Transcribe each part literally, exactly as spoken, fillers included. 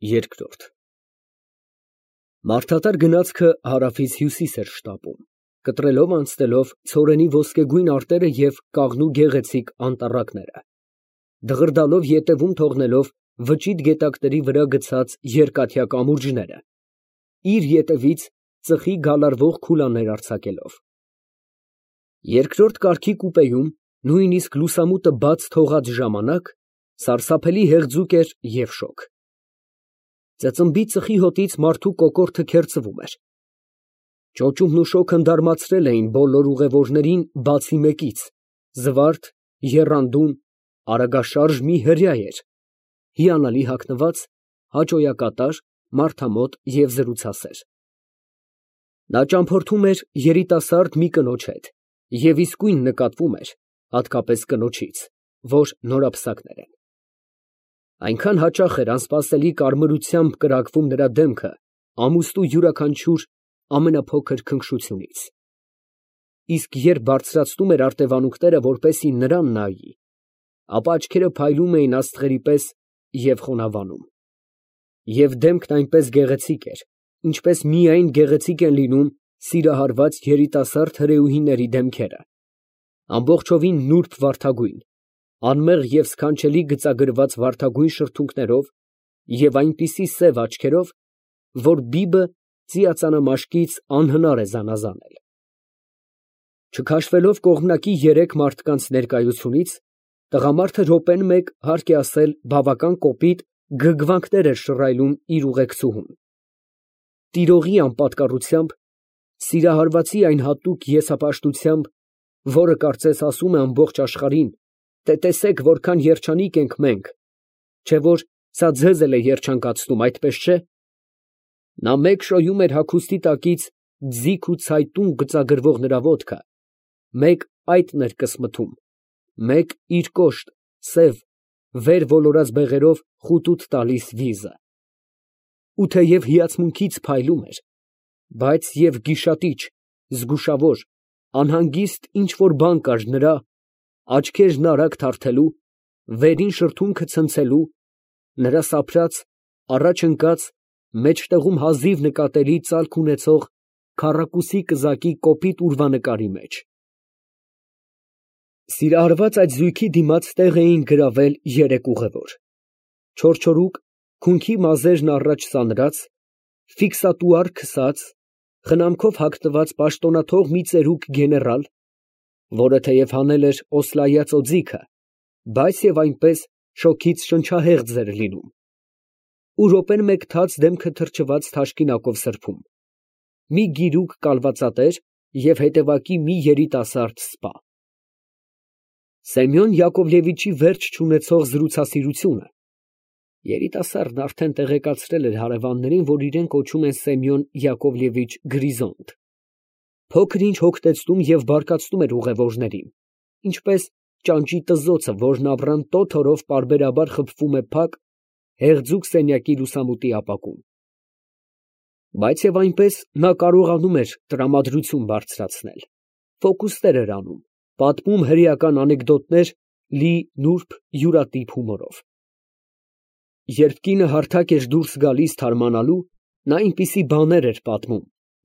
Երկրորդ Մարդատար գնացքը հարավից հյուսիս էր շտապում, կտրելով անցնելով ցորենի ոսկեգույն արտերը և կաղնու գեղեցիկ անտառակները, դղրդալով ետևում թողնելով վճիտ գետակների վրա գցած երկաթյա կամուրջները, իր ետևից ծխի գալարվող քուլաներ արձակելով։ Երկրորդ կարգի կուպեում, նույնիսկ լուսամուտը բաց թողած ժամանակ, սարսափելի հեղձուկ էր և շոգ։ Ծծմբի ծխի հոտից մարդու կոկորդը քերծվում էր։ Ճոճումն ու շոգն դարմացրել էին բոլոր ուղևորներին բացի մեկից, զվարթ, եռանդուն, արագաշարժ մի հրեա էր, հիանալի հագնված, հաճոյակատար, մարդամոտ և զրուցասեր։ Նա ճամփորդում էր երիտասարդ մի կնոջ հետ և իսկույն նկատվում էր, հատկապես կնոջից, որ նորապսակներ են։ Այնքան հաճախ էր անսպասելի կարմրությամբ կրակվում նրա դեմքը ամուստու յուրաքանչյուր ամենափոքր քնքշությունից, իսկ երբ բարձրացնում էր արտևանունքները, որպեսզի նրան նայի, ապա աչքերը փայլում էին աստղերի պես և խոնավանում, և դեմքն այնպես գեղեցիկ էր, ինչպես միայն գեղեցիկ են լինում սիրահարված երիտասարդ հրեուհիների դեմքերը, ամբողջովին նուրբ վարդագույն, անմեղ և սքանչելի գծագրված վարդագույն շրթունքներով և այնպիսի սև աչքերով, որ բիբը ծիածանամաշկից անհնար է զանազանել։ Չքաշվելով կողմնակի երեք մարդկանց ներկայությունից, տղամարդը րոպեն մեկ, հարկ է ասել, բավական կոպիտ գրգռվանքներ էր շռայլում իր ուղեկցուհուն, տիրողի անպատկառությամբ, սիրահարվածի այն հատուկ եզապաշտությամբ, որը կարծես ասում է ամբողջ աշխարհին, թե տեսեք, որքան երջանիկ ենք մենք, չէ՞ որ սա ձեզ էլ է երջանկացնում, այդպես չէ՞։ Նա մեկ շոյում էր հագուստի տակից ձիգ ու ցայտուն գծագրվող նրա ոտքը, մեկ այտն էր կսմթում, մեկ իր կոշտ, սև, վեր ոլորած բեղերով խուտուտ տալիս վիզը։ Ու թեև հիացմունքից փայլում էր, բայց և գիշատիչ, զգուշավոր, անհանգիստ ինչ֊որ բան կար նրա, աչքերն արագ թարթելու, վերին շրթունքը ցնցելու, նրա սափրած, առաջ ընկած, մեջտեղում հազիվ նկատելի ծալք ունեցող քառակուսի կզակի կոպիտ ուրվանկարի մեջ։ Սիրահարված այդ զույգի դիմաց տեղ էին գրավել երեք ուղևոր, չորչորուկ, քունքի մազերն առաջ սանրած, ֆիքսատուար քսած, խնամքով հագնված պաշտոնաթող մի ծերուկ գեներալ, որը թեև հանել էր օսլայած օձիքը, բայց և այնպես շոգից շնչահեղձ էր լինում, ու րոպեն մեկ թաց դեմքը թրջված թաշկինակով սրբում, մի գիրուկ կալվածատեր և հետևակի մի երիտասարդ սպա։ Սեմյոն Յակովլևիչի վերջ չունեցող զրուցասիրությունը (երիտասարդն արդեն տեղեկացրել էր հարևաններին, որ իրեն կոչում են Սեմյոն Յակովլևիչ Գրիզոնտ) փոքր֊ինչ հոգնեցնում և բարկացնում էր ուղևորներին, ինչպես ճանճի տզոցը, որն ամռան տոթ օրով պարբերաբար խփվում է փակ, հեղձուկ սենյակի լուսամուտի ապակուն։ Բայց և այնպես նա կարողանում էր տրամադրություն բարձրացնել, ֆոկուսներ էր անում, պատմում հրեական անեկդոտներ լի նուրբ, յուրատիպ հումորով։ Երբ կինը հարթակ էր դուրս գալիս թարմանալու, նա այնպիսի բաներ էր պատմում,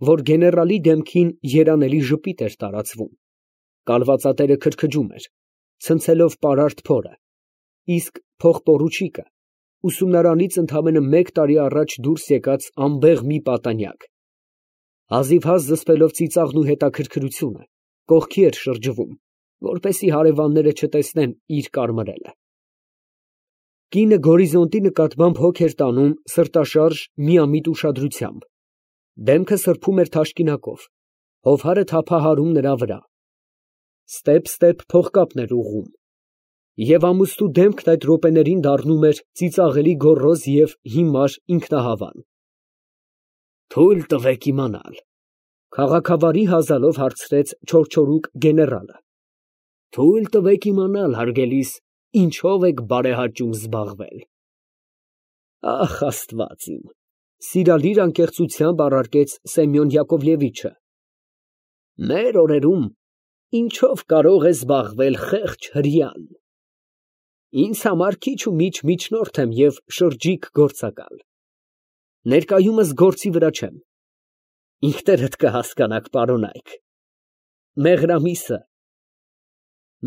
որ գեներալի դեմքին երանելի ժպիտ էր տարածվում, կալվածատերը քրքջում էր, ցնցելով պարարտ փորը, իսկ փողպորուչիկը ուսումնարանից ընդամենը մեկ տարի առաջ դուրս եկած անբեղ մի պատանյակ, հազիվհազ զսպելով ծիծաղն ու հետաքրքրությունը, կողքի էր շրջվում, որպեսզի հարևանները չտեսնեն իր կարմրելը։ Կինը գորիզոնտի նկատմամբ հոգ էր տանում սրտաշարժ, միամիտ ուշադրությամբ, դեմքը սրբում էր թաշկինակով, հովհարը թափահարում նրա վրա, ստեպ֊ստեպ փողկապն էր ուղղում, և ամուստու դեմքն այդ րոպեներին դառնում էր ծիծաղելի գոռոզ և հիմար ինքնահավան։ «Թույլ տվեք իմանալ, ֊ քաղաքավարի հազալով հարցրեց չորչորուկ գեներալը, ֊ թույլ տվեք իմանալ, հարգելիս, ինչով եք բարեհաճում զբաղվել»։ Ախ, Աստված իմ, ֊ սիրալիր անկեղծությամբ առարկեց Սեմյոն Յակովլևիչը, ֊ մեր օրերում ինչով կարող է զբաղվել խեղճ հրեան։ Ինձ համար քիչ ու միջ միջնորդ եմ և շրջիկ գործակալ։ Ներկայումս գործի վրա չեմ։ Ինքներդ կհասկանաք, պարոն Այք։ Մեղրամիսը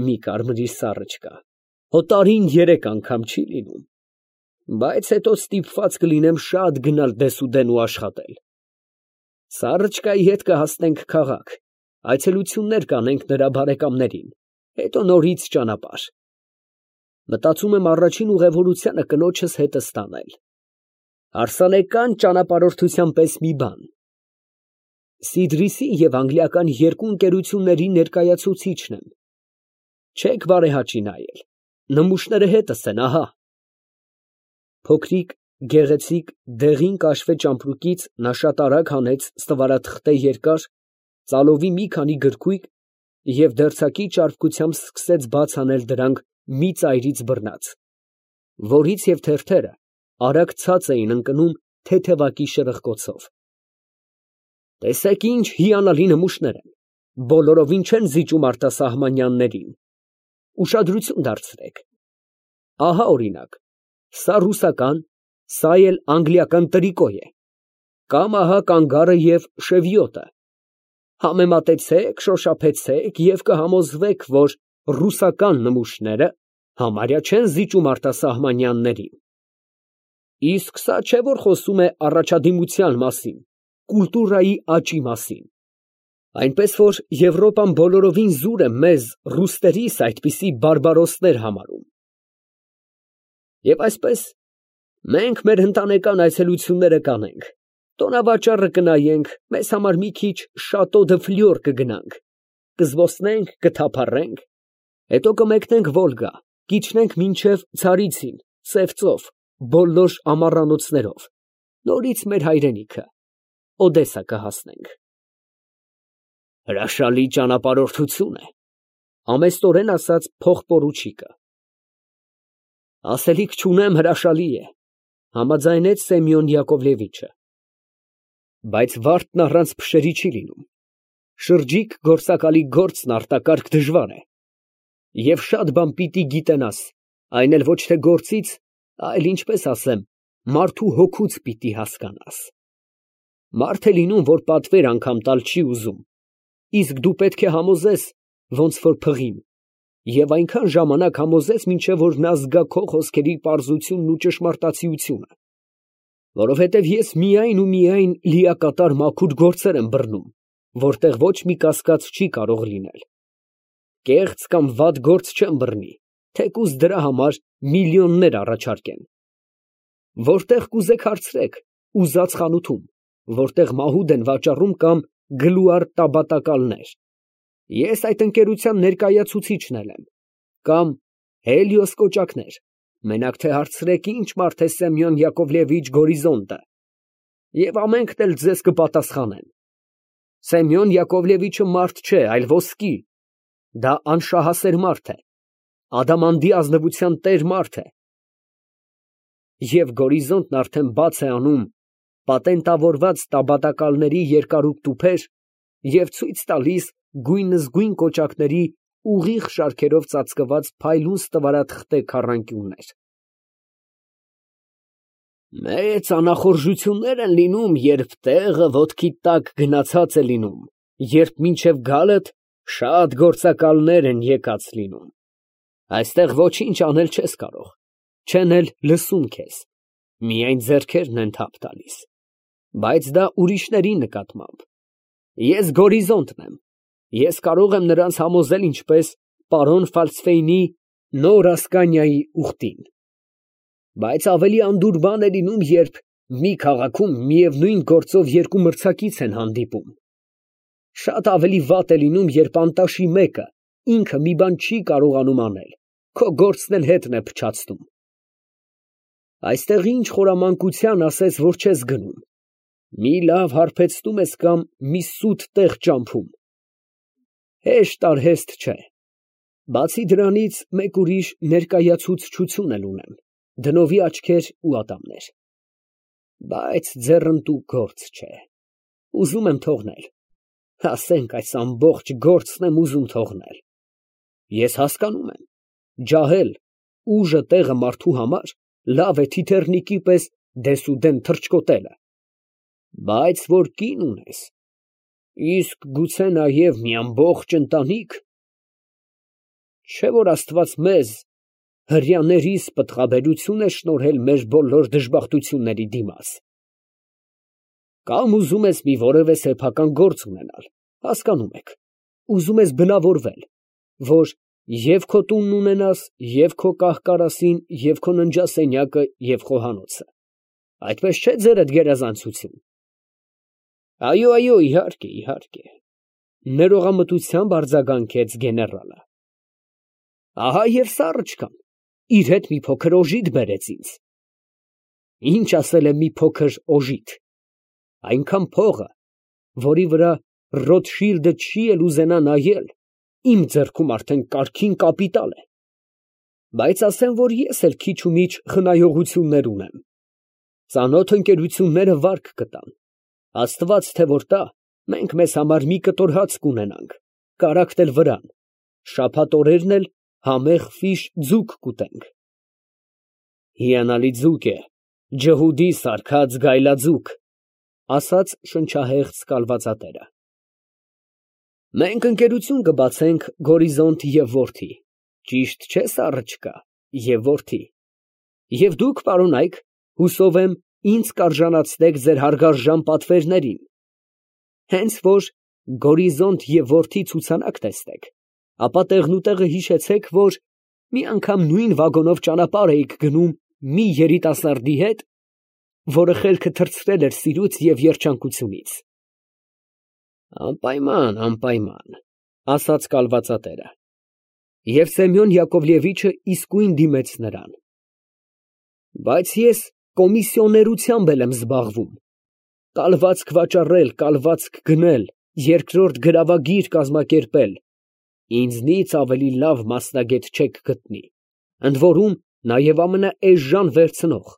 մի կարմրիր սառը չկա, հո տարին երեք անգամ չի լինում, բայց հետո ստիպված կլինեմ շատ գնալ դեսուդեն ու աշխատել։ Սառը չկայի հետ կհասնենք քաղաք, այցելություններ կանենք նրա բարեկամներին, հետո նորից ճանապարհ։ Մտածում եմ առաջին ուղևորությանը կնոջս հետս տանել։ Հարսանեկան ճանապարհորդության պես մի բան։ Սիդրիսի և անգլիական երկու ընկերությունների ներկայացուցիչն եմ։ Չեք բարեհաճի նայել, նմուշները հետս են, ահա։ Փոքրիկ, գեղեցիկ, դեղին կաշվե ճամպրուկից նա շատ արագ հանեց ստվարաթղթե երկար, ծալովի մի քանի գրքույկ և դերձակի ճարպկությամբ սկսեց բաց անել դրանք մի ծայրից բռնած, որից և թերթերը արագ ցած էին ընկնում թեթևակի շրխկոցով։ Տեսեք ինչ հիանալի նմուշներ են, բոլորովին չեն զիջում արտասահմանյաններին, ուշադրություն դարձրեք, ահա օրինակ, սա ռուսական, սա էլ անգլիական տրիկո է, կամ ահա կանգարը և շևիոտը, համեմատեցեք, շոշափեցեք և կհամոզվեք, որ ռուսական նմուշները համարյա չեն զիջում արտասահմանյաններին։ Իսկ սա չէ, որ խոսում է առաջադիմության մասին, կուլտուրայի աճի մասին, այնպես որ Եվրոպան բոլորովին զուր է մեզ ռուսներիս այդպիսի բարբարոսներ համարում։ Եվ այսպես, մենք մեր ընտանեկան այցելությունները կանենք, տոնավաճառը կնայենք, մեզ համար մի քիչ Շատո դը Ֆլյուր կգնանք, կզբոսնենք, կթափառենք, հետո կմեկնենք Վոլգա, կիջնենք մինչև Ցարիցին, Սև ծով, բոլոր ամառանոցներով, նորից մեր հայրենիքը, Օդեսա կհասնենք։ Հրաշալի ճանապարհորդություն է, ամեստորեն ասաց փողպորուչիկը։ Ասելիք չունեմ, հրաշալի է, համաձայնեց Սեմյոն Յակովլևիչը։ Բայց վարդն առանց փշերի չի լինում, շրջիկ գործակալի գործն արտակարգ դժվար է, և շատ բան պիտի գիտենաս, այն էլ ոչ թե գործից, այլ ինչպես ասեմ, մարդու հոգուց պիտի հասկանաս։ Մարդ է լինում, որ պատվեր անգամ տալ չի ուզում, իսկ դու պետք է համոզես, ոնց որ փղին, և այնքան ժամանակ համոզես, մինչև որ նա զգա քո խոսքերի պարզությունն ու ճշմարտացիությունը, որովհետև ես միայն ու միայն լիակատար մաքուր գործեր եմ բռնում, որտեղ ոչ մի կասկած չի կարող լինել։ Կեղծ կամ վատ գործ չեմ բռնի, թեկուզ դրա համար միլիոններ առաջարկեն։ Որտեղ կուզեք հարցրեք, ուզած խանութում, որտեղ մահուդ են վաճառում կամ գլուար տաբատակալներ, ես այդ ընկերության ներկայացուցիչն եմ, կամ Հելիոս կոճակներ, մենակ թե հարցրեք ինչ մարդ է Սեմյոն Յակովլևիչ Գորիզոնտը, և ամենքն էլ ձեզ կպատասխանեն։ Սեմյոն Յակովլևիչը մարդ չէ, այլ ոսկի, դա անշահասեր մարդ է, ադամանդի ազնվության տեր մարդ է։ Եվ Գորիզոնտն արդեն բաց է անում պատենտավորված տաբատակալների երկարուկ տուփեր և ցույց տալիս գույնզգույն կոճակների ուղիղ շարքերով ծածկված փայլուն ստվարաթղթե քառանկյուններ։ Մեծ անախորժություններ են լինում, երբ տեղը ոտքիդ տակ գնացած է լինում, երբ մինչև գալդ շատ գործակալներ են եկած լինում։ Այստեղ ոչինչ անել չես կարող, չեն էլ լսում քեզ, միայն ձեռքերն են թափ տալիս, բայց դա ուրիշների նկատմամբ։ Ես Գորիզոնտն եմ, ես կարող եմ նրանց համոզել ինչպես պարոն Ֆալցֆեյնի Նոր Ասկանիայի ուղտին։ Բայց ավելի անդուր բան է լինում, երբ մի քաղաքում միևնույն գործով երկու մրցակից են հանդիպում։ Շատ ավելի վատ է լինում, երբ անտաշի մեկը ինքը մի բան չի կարողանում անել, քո գործն էլ հետն է փչացնում։ Այստեղ ինչ խորամանկության ասես, որ չես գնում, մի լավ հարբեցնում ես կամ մի սուտ տեղ ճամփում։ Հեշտ արհեստ չէ։ Բացի դրանից մեկ ուրիշ ներկայացուցչություն էլ ունեմ, դնովի աչքեր ու ատամներ։ Բայց ձեռնտու գործ չէ, ուզում եմ թողնել, ասենք այս ամբողջ գործն եմ ուզում թողնել։ Ես հասկանում եմ, ջահել, ուժը տեղը մարդու համար լավ է թիթեռնիկի պես դեսուդեն թռչկոտելը, Բայց որ կին ունես, իսկ գուցե նաև մի ամբողջ ընտանիք, չէ՞ որ Աստված մեզ հրեաներիս պտղաբերություն է շնորհել մեր բոլոր դժբախտությունների դիմաց։ Կամ ուզում ես մի որևէ սեփական գործ ունենալ, հասկանում եք, ուզում ես բնավորվել, որ և քո տունն ունենաս, և քո կահ֊կարասին, և քո ննջասենյակը, և խոհանոցը, այդպես չէ՞ ձերդ գերազանցություն։ Այո, այո, իհարկե, իհարկե, ներողամտությամբ արձագանքեց գեներալը։ Ահա և Սառըչկան իր հետ մի փոքր օժիտ բերեց ինձ։ Ինչ ասել է մի փոքր օժիտ, այնքան փողը, որի վրա Ռոտշիլդը չի էլ ուզենա նայել, իմ ձեռքում արդեն կարգին կապիտալ է, բայց ասեմ, որ ես էլ քիչ֊ու-միչ խնայողություններ ունեմ, ծանոթ ընկերությունները վարկ կտան, Աստված թե որ տա, մենք մեզ համար մի կտոր հաց կունենանք, կարագ էլ վրան, շաբաթ օրերն էլ համեղ ֆիշ ձուկ կուտենք։ Հիանալի ձուկ է, ջհուդի սարքած գայլաձուկ, ասաց շնչահեղձ կալվածատերը։ Մենք ընկերություն կբացենք Գորիզոնտ և որդի, ճիշտ չէ՞ Սառըչկա, և որդի, և դուք, պարոնայք, հուսով եմ, ինձ կարժանացնեք ձեր հարգարժան պատվերներին, հենց որ Գորիզոնտ և որդի ցուցանակ տեսնեք, ապա տեղնուտեղը հիշեցեք, որ մի անգամ նույն վագոնով ճանապարհ էիք գնում մի երիտասարդի հետ, որը խելքը թռցրել էր սիրուց և երջանկությունից։ Անպայման, անպայման, ասաց կալվածատերը, և Սեմյոն Յակովլևիչը իսկույն դիմեց նրան։ Բայց ես կոմիսիոներությամբ էլ եմ զբաղվում, կալվածք վաճառել, կալվածք գնել, երկրորդ գրավագիր կազմակերպել, ինձնից ավելի լավ մասնագետ չեք գտնի, ընդ որում նաև ամենաէժան վերցնող,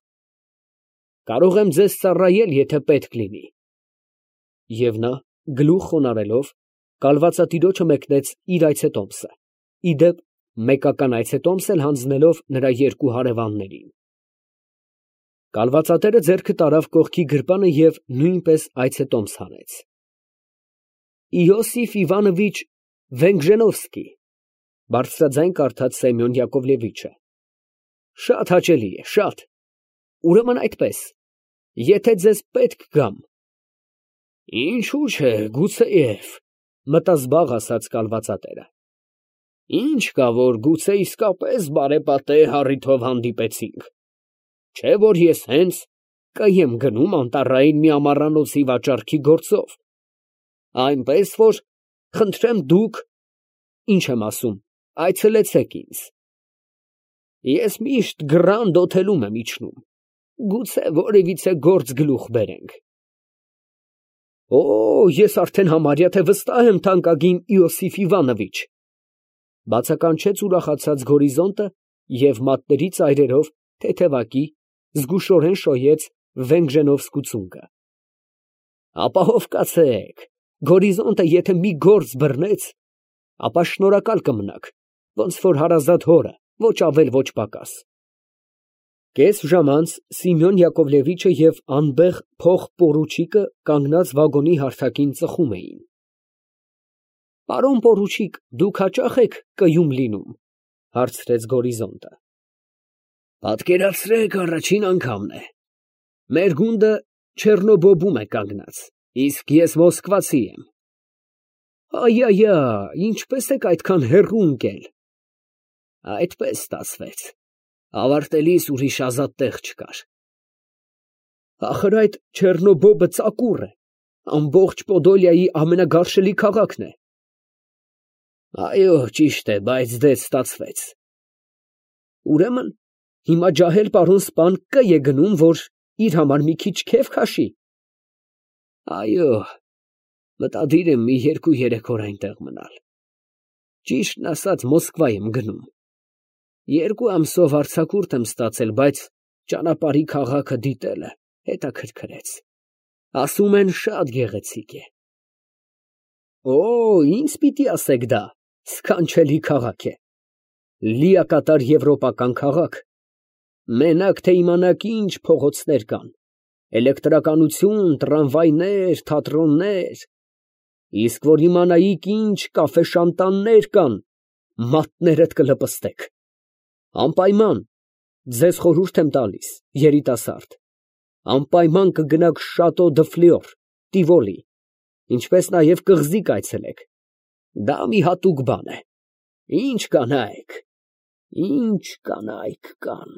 կարող եմ ձեզ ծառայել, եթե պետք լինի։ Եվ նա, գլուխ խոնարհելով, կալվածատիրոջը մեկնեց իր այցետոմսը, ի դեպ, մեկական այցետոմս էլ հանձնելով նրա երկու հարևաններին։ Կալվածատերը ձեռքը տարավ կողքի գրպանը և նույնպես այցետոմս հանեց։ Իոսիֆ Իվանովիչ Վենգժենովսկի, բարձրաձայն կարդաց Սեմյոն Յակովլևիչը։ Շատ հաճելի է, շատ, ուրեմն այդպես, եթե ձեզ պետք գամ։ Ինչու՞ չէ, գուցեև, մտազբաղ ասաց կալվածատերը։ Ինչ կա, որ գուցե իսկապես բարեպատե առիթով հանդիպեցինք, չէ՞ որ ես հենց կայեմ գնում անտառային մի ամառանոցի վաճառքի գործով, այնպես որ, խնդրեմ դուք, ինչ եմ ասում, այցելեցեք ինձ։ Ես միշտ Գրանդ Օթելում եմ իջնում, գուցե որևիցե գործ գլուխ բերենք։ Օ, ես արդեն համարյա թե վստահ եմ, թանկագին Իոսիֆ Իվանովիչ, բացականչեց ուրախացած Գորիզոնտը և մատների ծայրերով թեթևակի զգուշորեն շոյեց Վենգժենովսկու ծունկը։ Ապահով կացեք, Գորիզոնտը եթե մի գործ բռնեց, ապա շնորհակալ կմնաք, ոնց որ հարազատ հորը, ոչ ավել, ոչ պակաս։ Կես ժամ անց Սիմեոն Յակովլևիչը և անբեղ փոխ֊պորուչիկը կանգնած վագոնի հարթակին ծխում էին։ Պարոն պորուչիկ, դուք հաճա՞խ եք կայում լինում, հարցրեց Գորիզոնտը։ Պատկերացրեք, առաջին անգամն է։ Մեր գունդը Չեռնոբոբում է կանգնած, իսկ ես մոսկվացի եմ։ Այ֊այ֊այ, ինչպես եք այդքան հեռու ընկել։ Այդպես ստացվեց, ավարտելիս ուրիշ ազատ տեղ չկար։ Ախր այդ Չեռնոբոբը ծակուռ է, ամբողջ Պոդոլիայի ամենագարշելի քաղաքն է։ Այո, ճիշտ է, բայց դե ստացվեց։ Ուրեմն, հիմա ջահել պարոն սպան կայ է գնում, որ իր համար մի քիչ քեֆ քաշի։ Այո, մտադիր եմ մի երկու֊երեք օր այնտեղ մնալ։ Ճիշտն ասած, Մոսկվա եմ գնում։ Երկու ամսով արձակուրդ եմ ստացել, բայց ճանապարհի քաղաքը դիտելը հետաքրքրեց։ Ասում են շատ գեղեցիկ է։ Օ, ինձ պիտի ասեք դա, սքանչելի քաղաք է, լիակատար եվրոպական քաղաք, մենակ թե իմանաք ինչ փողոցներ կան, էլեկտրականություն, տրամվայներ, թատրոններ, իսկ որ իմանայիք ինչ կաֆե֊շանտաններ կան, մատներդ կլպստեք, անպայման, ձեզ խորհուրդ եմ տալիս, երիտասարդ, անպայման կգնաք Շատո դը Ֆլյուր, Տիվոլի, ինչպես նաև կղզի կայցելեք, դա մի հատուկ բան է, ինչ կանայք, ինչ կանայք կան։